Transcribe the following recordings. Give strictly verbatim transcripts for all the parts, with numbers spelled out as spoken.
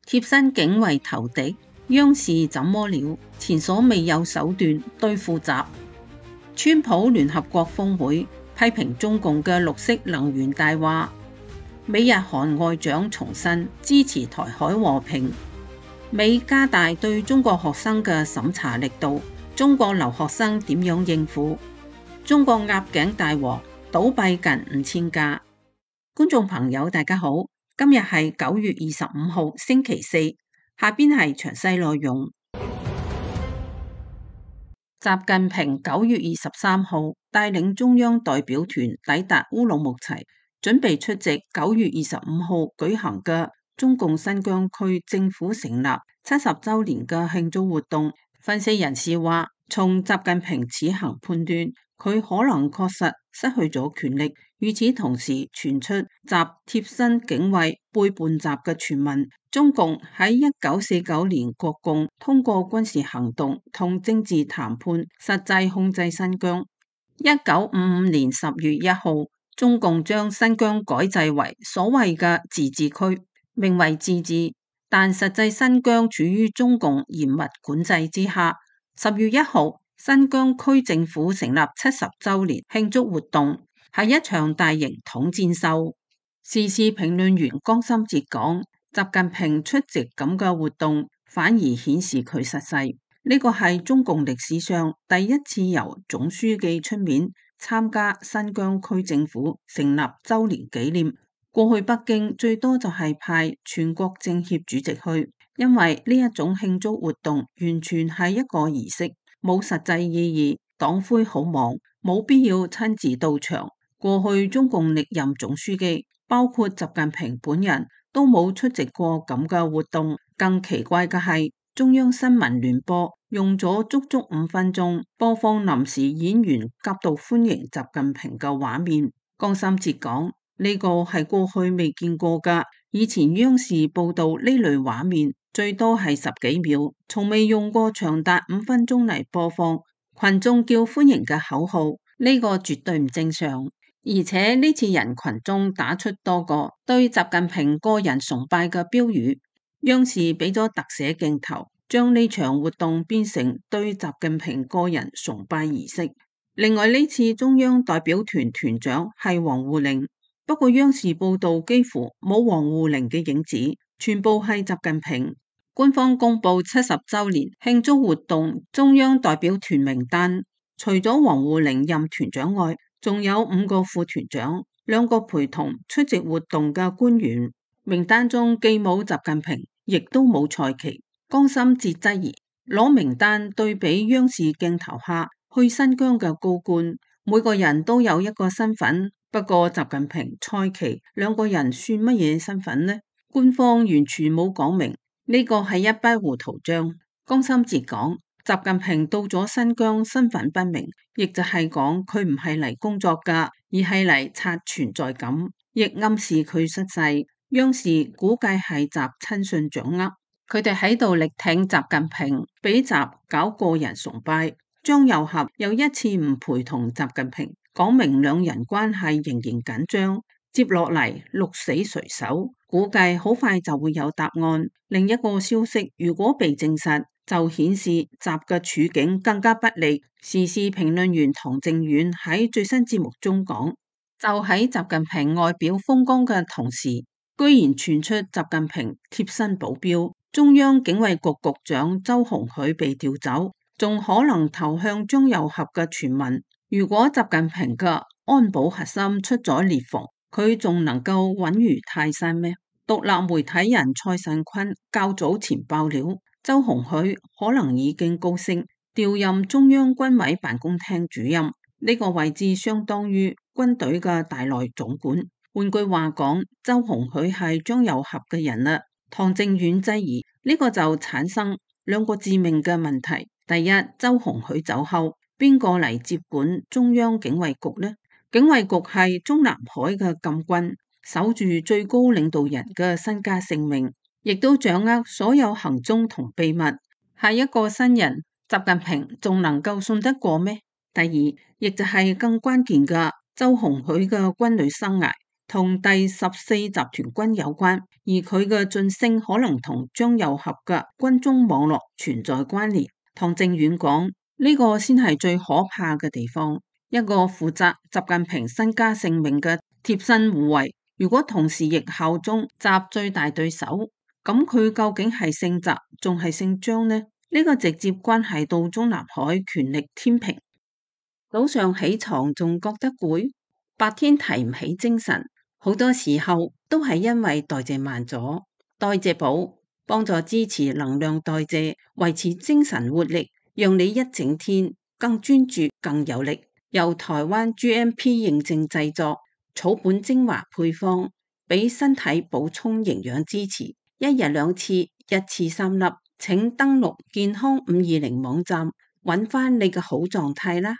貼身警衛投敵，央視怎麼了？前所未有手段對付習。川普聯合國峰會批評中共嘅綠色能源大話。美日韓外長重申支持台海和平。美加大對中國學生嘅審查力度，中國留學生點樣應付？中國鴨頸大王倒閉近五千家。觀眾朋友大家好，今日係九月二十五號星期四，下邊係詳細內容。習近平九月二十三號帶領中央代表團抵達烏魯木齊，準備出席九月二十五號舉行嘅中共新疆區政府成立七十周年嘅慶祝活動。分析人士話，從習近平此行判斷，佢可能確實失去咗權力。與此同時，傳出習貼身警衛背叛習嘅傳聞。中共喺一九四九年國共通過軍事行動同政治談判，實際控制新疆。一九五五年十月一號，中共將新疆改制為所謂嘅自治區，名為自治，但實際新疆處於中共嚴密管制之下。十月一號，新疆區政府成立七十周年慶祝活動，係一場大型統戰秀。時事評論員江心哲講，習近平出席咁嘅活動，反而顯示佢失勢。呢個係中共歷史上第一次由總書記出面參加新疆區政府成立周年紀念。過去北京最多就係派全國政協主席去，因為呢一種慶祝活動完全係一個儀式，冇實際意義。黨魁好忙，冇必要親自到場。過去中共歷任總書記，包括習近平本人，都冇出席過咁嘅活動。更奇怪嘅係，中央新聞聯播用咗足足五分鐘播放臨時演員夾道歡迎習近平嘅畫面。江心哲講，呢個係過去未見過噶，以前央視報道呢類畫面最多係十幾秒，從未用過長達五分鐘嚟播放群眾叫歡迎嘅口號，呢個絕對唔正常。而且呢次人群中打出多個對習近平個人崇拜嘅標語，央視俾咗特寫鏡頭，將呢場活動變成對習近平個人崇拜儀式。另外呢次中央代表團團長係王滬寧，不過央視報道幾乎冇王滬寧嘅影子，全部係習近平。官方公布七十周年慶祝活動中央代表團名單，除咗王滬寧任團長外，仲有五個副團長，兩個陪同出席活動嘅官員。名單中既冇習近平，亦都冇蔡奇。江心哲質疑，攞名單對比央視鏡頭下去新疆嘅高官，每個人都有一個身份，不過習近平、蔡奇兩個人算乜嘢身份呢？官方完全冇講明，呢個係一筆糊塗賬。江心哲講，習近平到咗新疆身份不明，亦就係講佢唔係嚟工作噶，而係嚟刷存在感，亦暗示佢失勢。央視估計係習親信掌握，佢哋喺度力挺習近平，俾習搞個人崇拜。張又俠又一次唔陪同習近平，講明兩人關係仍然緊張。接落嚟鹿死誰手，估計好快就會有答案。另一個消息如果被證實，就顯示習嘅處境更加不利。時事評論員唐正遠喺最新節目中講，就喺習近平外表風光嘅同時，居然傳出習近平貼身保鏢中央警衛局局長周鴻許被調走，仲可能投向張又俠嘅傳聞。如果習近平嘅安保核心出咗裂縫，佢仲能夠穩如泰山咩？獨立媒體人蔡慎坤較早前爆料，周鴻許可能已經高升調任中央軍委辦公廳主任，呢個位置相當於軍隊嘅大內總管。換句話講，周鴻許係張又俠嘅人啦。唐正遠質疑呢個就產生兩個致命嘅問題。第一，周鴻許走後，邊個嚟接管中央警衛局呢？警衛局係中南海嘅禁軍，守住最高領導人嘅身家性命，亦都掌握所有行蹤同秘密。係一個新人，習近平仲能夠信得過咩？第二，亦就係更關鍵嘅，周鴻許嘅軍旅生涯同第十四集團軍有關，而佢嘅晉升可能同張又俠嘅軍中網絡存在關聯。唐靖遠講，呢個先係最可怕嘅地方，一個負責習近平身家性命嘅貼身護衛，如果同時亦效忠習最大對手，咁佢究竟係姓習仲係姓張呢？呢個直接關係到中南海權力天平。早上起床仲覺得攰，白天提唔起精神，好多時候都係因為代謝慢咗。代謝寶幫助支持能量代謝，維持精神活力，讓你一整天更專注、更有力。由台灣 G M P 認證製作，草本精華配方，俾身體補充營養支持。一日兩次，一次三粒。請登錄健康五二零網站，揾翻你嘅好狀態啦。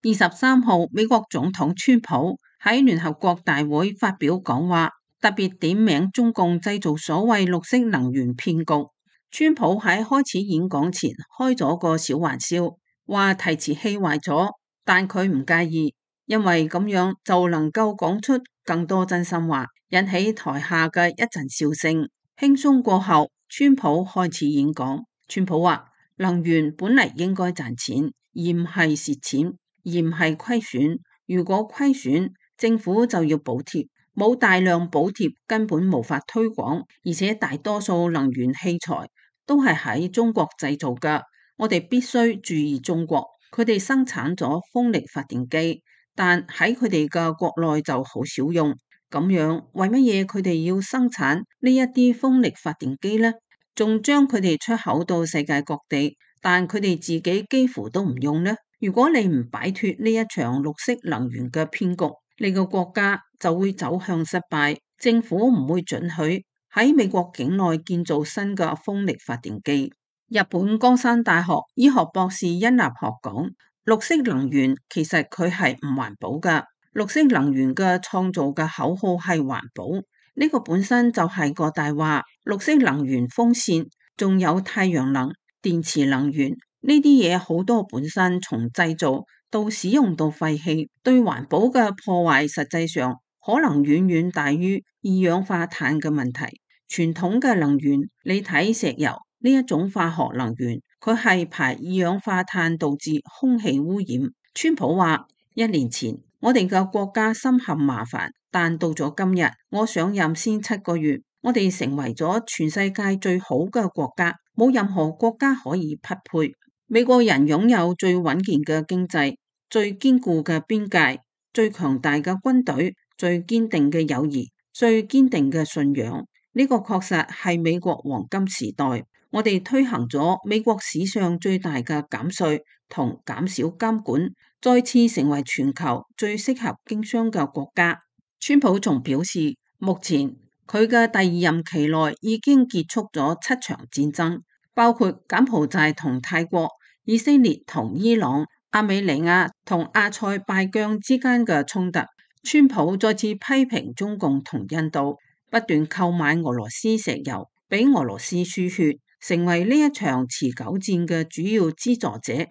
二十三號，美國總統川普喺聯合國大會發表講話，特別點名中共製造所謂綠色能源騙局。川普喺開始演講前開咗個小玩笑，話提詞器壞咗，但佢唔介意，因為咁樣就能夠講出更多真心話，引起台下嘅一陣笑聲。輕鬆過後，川普開始演講。川普話：能源本嚟應該賺錢，而唔係蝕錢，而唔係虧損。如果虧損，政府就要補貼，冇大量補貼根本無法推廣，而且大多數能源器材都係喺中國製造㗎。我哋必須注意中國，佢哋生產咗風力發電機，但喺佢哋嘅國內就好少用。咁樣為乜嘢佢哋要生產呢一啲風力發電機呢？仲將佢哋出口到世界各地，但佢哋自己幾乎都唔用呢？如果你唔擺脫呢一場綠色能源嘅騙局，你個國家就會走向失敗。政府唔會准許喺美國境內建造新嘅風力發電機。日本江山大學醫學博士殷立學講，綠色能源其實佢係唔環保㗎。綠色能源嘅創造嘅口號係環保，呢個本身就係個大話。綠色能源風扇，仲有太陽能、電池能源呢啲嘢，好多本身從製造到使用到廢棄，對環保嘅破壞實際上可能遠遠大於二氧化碳嘅問題。傳統嘅能源，你睇石油呢一種化學能源，佢係排二氧化碳導致空氣污染。川普話：一年前我哋嘅國家深陷麻煩，但到咗今日，我上任先七個月，我哋成為咗全世界最好嘅國家，冇任何國家可以匹配。美國人擁有最穩健嘅經濟、最堅固嘅邊界、最強大嘅軍隊、最堅定嘅友誼、最堅定嘅信仰。呢個確實係美國黃金時代。我哋推行咗美國史上最大嘅減稅同減少監管，再次成為全球最適合經商嘅國家。川普仲表示，目前佢嘅第二任期內已經結束咗七場戰爭，包括柬埔寨同泰國、以色列同伊朗、亞美尼亞同阿塞拜疆之間嘅衝突。川普再次批評中共同印度不斷購買俄羅斯石油，俾俄羅斯輸血，成為呢一場持久戰嘅主要資助者。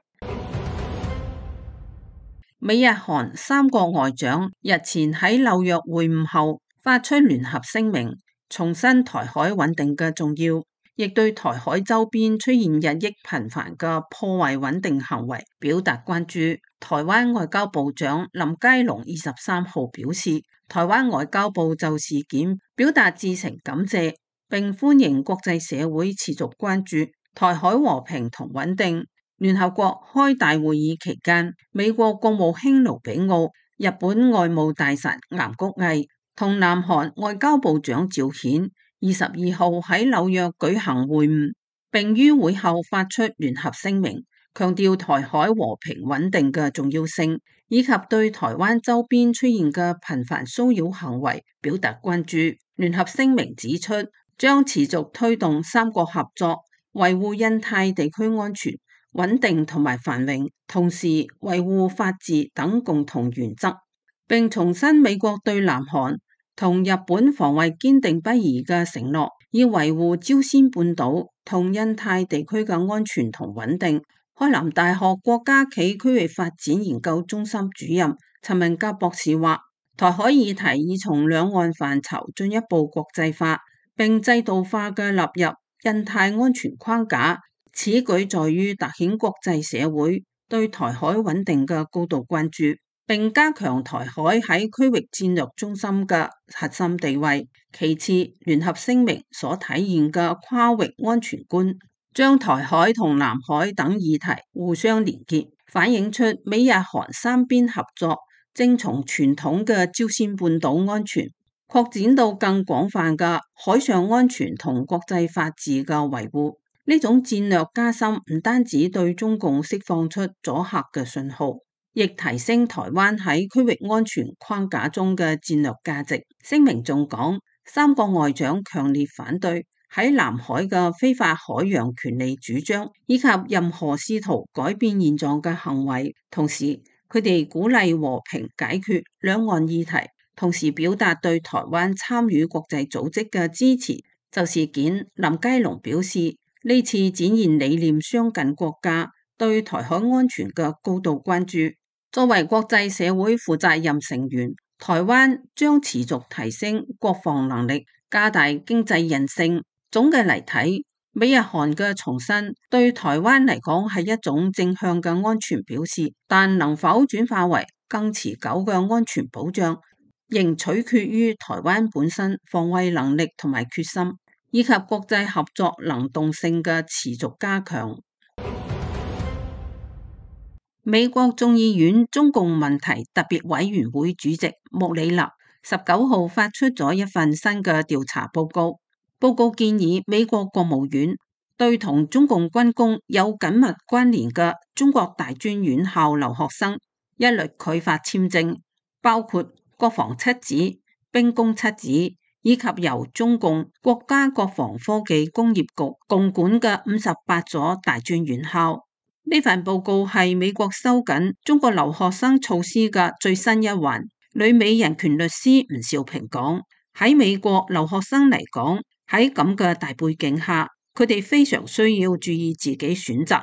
美日韓三國外長日前喺紐約會晤後發出聯合聲明，重申台海穩定嘅重要，亦對台海周邊出現日益頻繁嘅破壞穩定行為表達關注。台灣外交部長林佳龍二十三號表示，台灣外交部就事件表達至誠感謝，並歡迎國際社會持續關注台海和平同穩定。聯合國開大會議期間，美國國務卿盧比奧、日本外務大臣岩谷毅同南韓外交部長趙顯二十二號喺紐約舉行會晤，並於會後發出聯合聲明，強調台海和平穩定嘅重要性，以及對台灣周邊出現嘅頻繁騷擾行為表達關注。聯合聲明指出，將持續推動三國合作，維護印太地區安全、穩定同埋繁榮，同時維護法治等共同原則，並重申美國對南韓同日本防衛堅定不移嘅承諾，以維護朝鮮半島同印太地區嘅安全同穩定。開南大學國家暨區域發展研究中心主任陳文甲博士話，台海議題已從兩岸範疇進一步國際化，並制度化嘅納入印太安全框架。此舉在於凸顯國際社會對台海穩定嘅高度關注，並加強台海喺區域戰略中心嘅核心地位。其次，聯合聲明所體現嘅跨域安全觀，將台海同南海等議題互相連結，反映出美日韓三邊合作正從傳統嘅朝鮮半島安全擴展到更廣泛嘅海上安全同國際法治嘅維護。呢種戰略加深唔單止對中共釋放出阻嚇嘅信號，亦提升台灣喺區域安全框架中嘅戰略價值。聲明仲講，三個外長強烈反對喺南海嘅非法海洋權利主張，以及任何試圖改變現狀嘅行為。同時，佢哋鼓勵和平解決兩岸議題，同時表達對台灣參與國際組織嘅支持。就事件，林佳龍表示，呢次展現理念相近國家對台海安全嘅高度關注。作為國際社會負責任成員，台灣將持續提升國防能力，加大經濟韌性。總嘅嚟睇，美日韓嘅重申對台灣嚟講係一種正向嘅安全表示，但能否轉化為更持久嘅安全保障，仍取決於台灣本身防衛能力同埋決心，以及國際合作能動性嘅持續加強。美國眾議院中共問題特別委員會主席穆里納十九號發出咗一份新嘅調查報告，報告建議美國國務院對同中共軍工有緊密關聯嘅中國大專院校留學生一律拒發簽證，包括國防七子、兵工七子，以及由中共國家國防科技工業局共管嘅五十八所大專院校。呢份報告係美國收緊中國留學生措施嘅最新一環。旅美人權律師吳兆平講，喺美國留學生嚟講，喺咁嘅大背景下，佢哋非常需要注意自己選擇。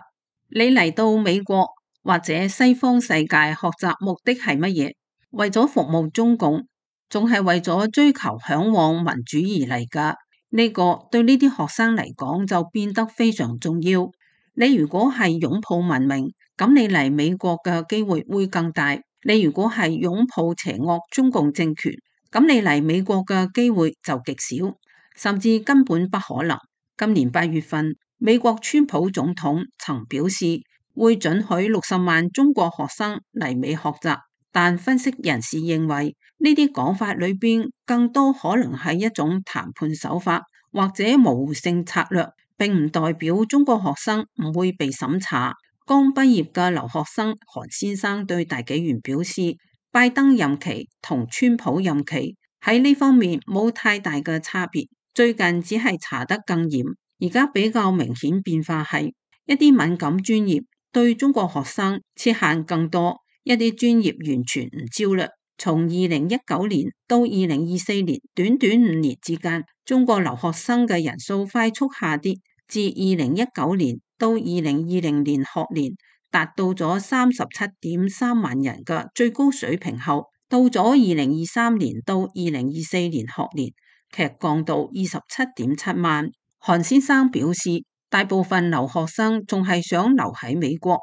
你嚟到美國或者西方世界學習目的係乜嘢？為咗服務中共，仲係為咗追求嚮往民主而嚟㗎？呢個對呢啲學生嚟講就變得非常重要。你如果係擁抱文明，咁你嚟美國嘅機會會更大。你如果係擁抱邪惡中共政權，咁你嚟美國嘅機會就極少，甚至根本不可能。今年八月份，美國川普總統曾表示會准許六十萬中國學生嚟美學習，但分析人士認為呢啲講法裏邊更多可能係一種談判手法或者模糊性策略，並唔代表中國學生唔會被審查。剛畢業嘅留學生韓先生對大紀元表示，拜登任期同川普任期喺呢方面冇太大嘅差別，最近只係查得更嚴。而家比較明顯變化係一啲敏感專業對中國學生設限更多，一啲專業完全唔招嘞。從二零一九年到二零二四年，短短五年之間，中國留學生嘅人數快速下跌，自二零一九年到二零二零年學年達到咗三十七點三萬人嘅最高水平後，到咗二零二三年到二零二四年學年劇降到二十七點七萬。韓先生表示，大部分留學生仲係想留喺美國，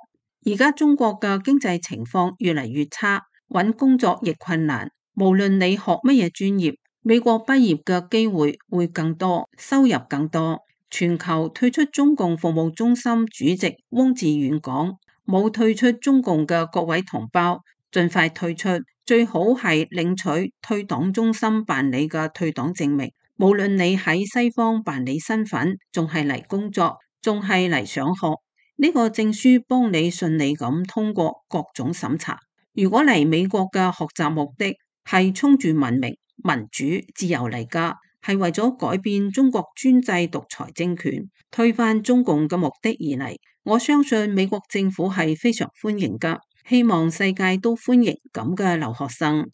而家中國嘅經濟情況越嚟越差，揾工作亦困難。無論你學乜嘢專業，美國畢業嘅機會會更多，收入更多。全球退出中共服務中心主席汪志遠講，冇退出中共嘅各位同胞，盡快退出，最好係領取退黨中心辦理嘅退黨證明。無論你喺西方辦理身份，仲係嚟工作，仲係嚟上學，呢個證書幫你順利咁通過各種審查。如果嚟美國嘅學習目的係衝住文明、民主、自由嚟噶，係為咗改變中國專制獨裁政權，推翻中共嘅目的而嚟，我相信美國政府係非常歡迎噶，希望世界都歡迎咁嘅留學生。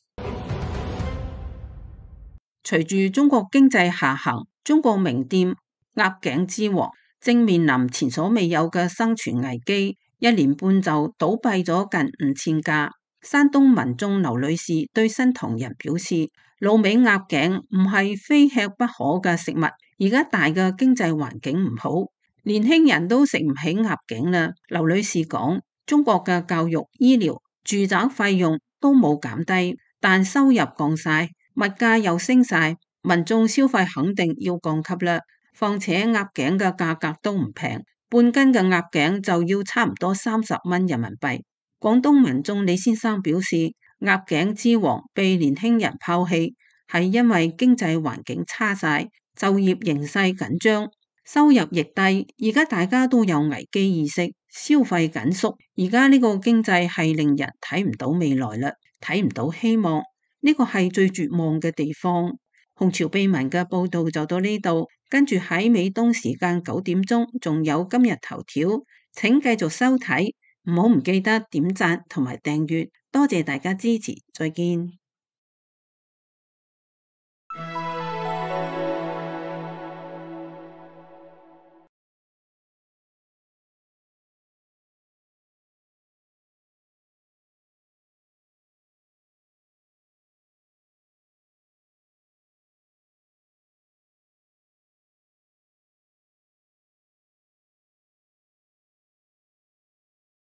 隨住中國經濟下行，中國名店鴨頸之王正面臨前所未有嘅生存危機。一年半就倒閉咗近五千家。山東民眾劉女士對新唐人表示，滷味鴨頸唔係非吃不可嘅食物，而家大嘅經濟環境唔好，年輕人都食唔起鴨頸啦。劉女士講，中國嘅教育、醫療、住宅費用都冇減低，但收入降晒，物價又升晒，民眾消費肯定要降級啦。況且鴨頸嘅價格都唔平，半斤嘅鴨頸就要差唔多三十蚊人民幣。廣東民眾李先生表示，鴨頸之王被年輕人拋棄，係因為經濟環境差晒，就業形勢緊張，收入亦低。而家大家都有危機意識，消費緊縮。而家呢個經濟係令人睇唔到未來啦，睇唔到希望，呢個係最絕望嘅地方。紅潮秘聞嘅報道就到呢度，跟住喺美東時間九點鐘仲有今日頭條，請繼續收睇。唔好唔記得點讚同埋訂閱，多謝大家支持，再見。